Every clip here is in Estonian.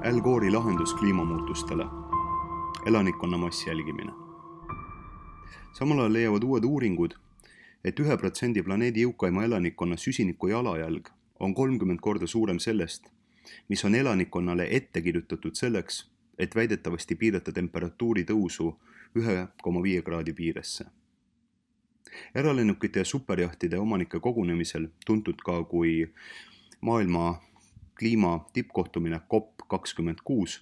Al Gore'i lahendus kliimamuutustele. Elanikkonna mass jälgimine. Samal ajal leiavad uued uuringud, et 1% planeedi jõukaima elanikkonna süsiniku jalajälg on 30 korda suurem sellest, mis on elanikkonnale ette kirjutatud selleks, et väidetavasti piirata temperatuuri tõusu 1,5 kraadi piiresse. Eralennukite ja superjahtide omanike kogunemisel, tuntud ka kui maailma kliima tippkohtumine COP26,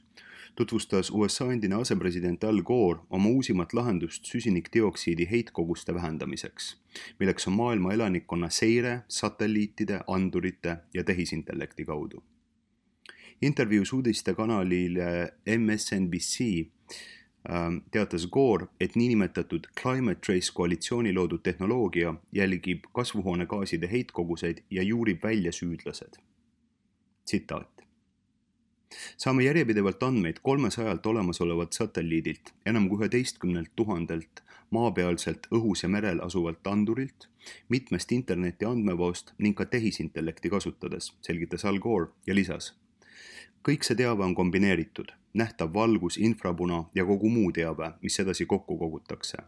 tutvustas USA endine asepresident Al Gore oma uusimat lahendust süsinikdioksiidi heitkoguste vähendamiseks, milleks on maailma elanikkonna seire satelliitide, andurite ja tehisintellekti kaudu. Intervjuus uudistekanalile MSNBC teatas Gore, et niinimetatud Climate Trace koalitsiooni loodud tehnoloogia jälgib kasvuhoonegaaside heitkoguseid ja juurib välja süüdlased. Tsitaat. Saame järjepidevalt andmeid 300 olemasolevat satelliidilt, enam kui 11 000 maapealselt, õhus ja merel asuvalt andurilt, mitmest interneti andmevaost ning ka tehisintellekti kasutades, selgitas Al Gore ja lisas. Kõik see teave on kombineeritud, nähtav valgus, infrapuna ja kogu muu teave, mis edasi kokku kogutakse.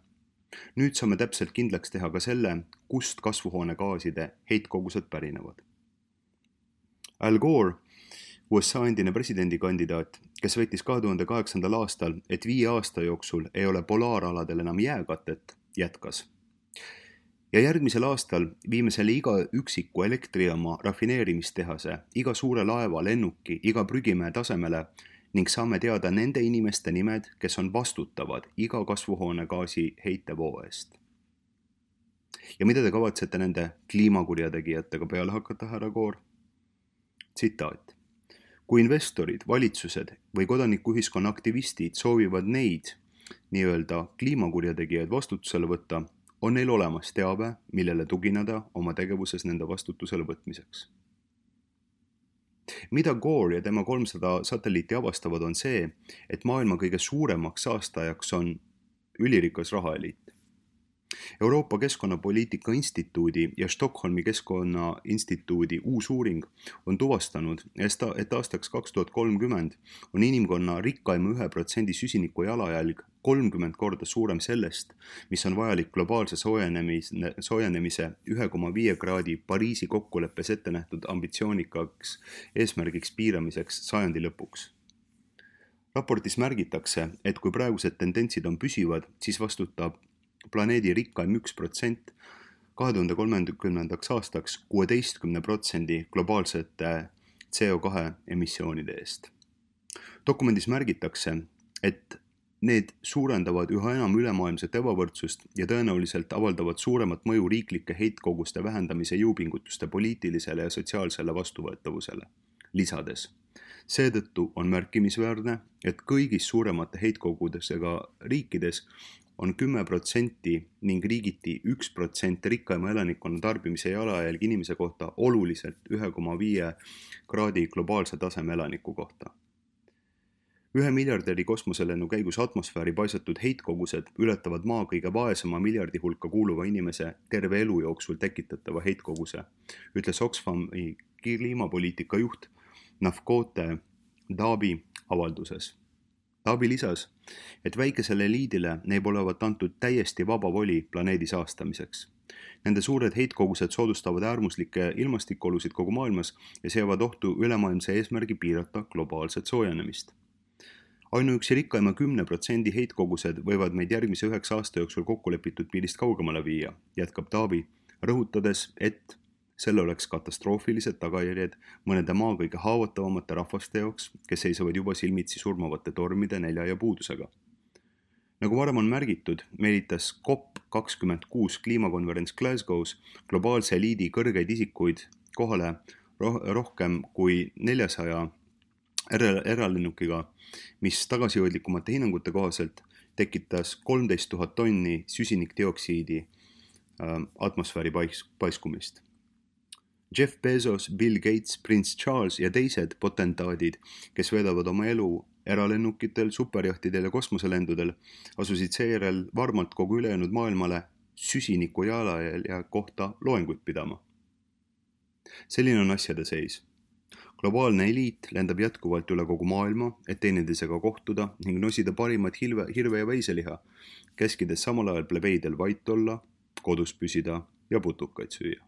Nüüd saame täpselt kindlaks teha ka selle, kust kasvuhoonegaaside heitkogused pärinevad. Al Gore, USA endine presidendikandidaat, kes väitis 2008. aastal, et 5 aasta jooksul ei ole polaaraladel enam jääkatet, jätkas. Ja järgmisel aastal viime selle iga üksiku elektrijaama rafineerimistehase, iga suure laeva, lennuki, iga prügimäe tasemele ning saame teada nende inimeste nimed, kes on vastutavad iga kasvuhoonegaasi heitevoo eest. Ja mida te kavatsete nende kliimakurjategijatega peale hakata, härra Gore? Tsitaat. Kui investorid, valitsused või kodanikuühiskonna aktivistid soovivad neid nii-öelda kliimakurjategijaid vastutusele võtta, on neil olemas teave, millele tugineda oma tegevuses nende vastutusele võtmiseks. Mida Gore ja tema 300 satelliiti avastavad on see, et maailma kõige suuremaks saastajaks on ülirikas rahaeliit. Euroopa Keskkonnapoliitika Instituudi ja Stockholmi Keskkonnainstituudi uus uuring on tuvastanud, et aastaks 2030 on inimkonna rikkaima 1% süsiniku jalajälg 30 korda suurem sellest, mis on vajalik globaalse soojenemise 1,5 kraadi Pariisi kokkuleppes ette nähtud ambitsioonikaks eesmärgiks piiramiseks sajandi lõpuks. Raportis märgitakse, et kui praegused tendentsid on püsivad, siis vastutab planeedi rikkaim 1% 2030. aastaks 16% globaalsete CO2 emissioonide eest. Dokumendis märgitakse, et need suurendavad üha enam ülemaailmset ebavõrdsust ja tõenäoliselt avaldavad suuremat mõju riiklike heitkoguste vähendamise jõupingutuste poliitilisele ja sotsiaalsele vastuvõetavusele. Lisades, seetõttu on märkimisväärne, et kõigis suuremate heitkogudesega riikides on 10% ning riigiti 1% rikkaima elanikkonna tarbimise jalajälg inimese kohta oluliselt 1,5 kraadi globaalse taseme elaniku kohta. 1 miljarderi kosmoselennu käigus atmosfääri paisatud heitkogused ületavad maa kõige vaesema miljardi hulka kuuluva inimese terve elu jooksul tekitatava heitkoguse, ütles Oxfami kliimapoliitika juht Nafkote Dabi avalduses. Dabi lisas, et väikesele eliidile neib olevat antud täiesti vaba voli planeedi saastamiseks. Nende suured heitkogused soodustavad äärmuslikke ilmastikuolusid kogu maailmas ja seavad ohtu ülemaailmse eesmärgi piirata globaalset soojenemist. Ainuüksi rikkaima 10% heitkogused võivad meid järgmise 9 aasta jooksul kokkulepitud piirist kaugemale viia, jätkab Dabi, rõhutades, et selle oleks katastroofilised tagajärjed mõnede maa kõige haavatavamate rahvaste jaoks, kes seisavad juba silmitsi surmavate tormide, nälja ja puudusega. Nagu varem on märgitud, meelitas COP26 kliimakonverents Glasgow's globaalse eliidi kõrgeid isikuid kohale rohkem kui 400 eralennukiga, mis tagasihoidlikumate hinnangute kohaselt tekitas 13 000 tonni süsinikdioksiidi atmosfääri paiskumist. Jeff Bezos, Bill Gates, Prince Charles ja teised potentaadid, kes veedavad oma elu eralennukitel, superjahtidel ja kosmoselendudel, asusid seejärel varmalt kogu ülejäänud maailmale süsiniku jalajälje kohta loenguid pidama. Selline on asjade seis. Globaalne eliit lendab jätkuvalt üle kogu maailma, et teineteisega kohtuda ning nosida parimat hirve ja veiseliha, käskides samal ajal plebeidel vait olla, kodus püsida ja putukaid süüa.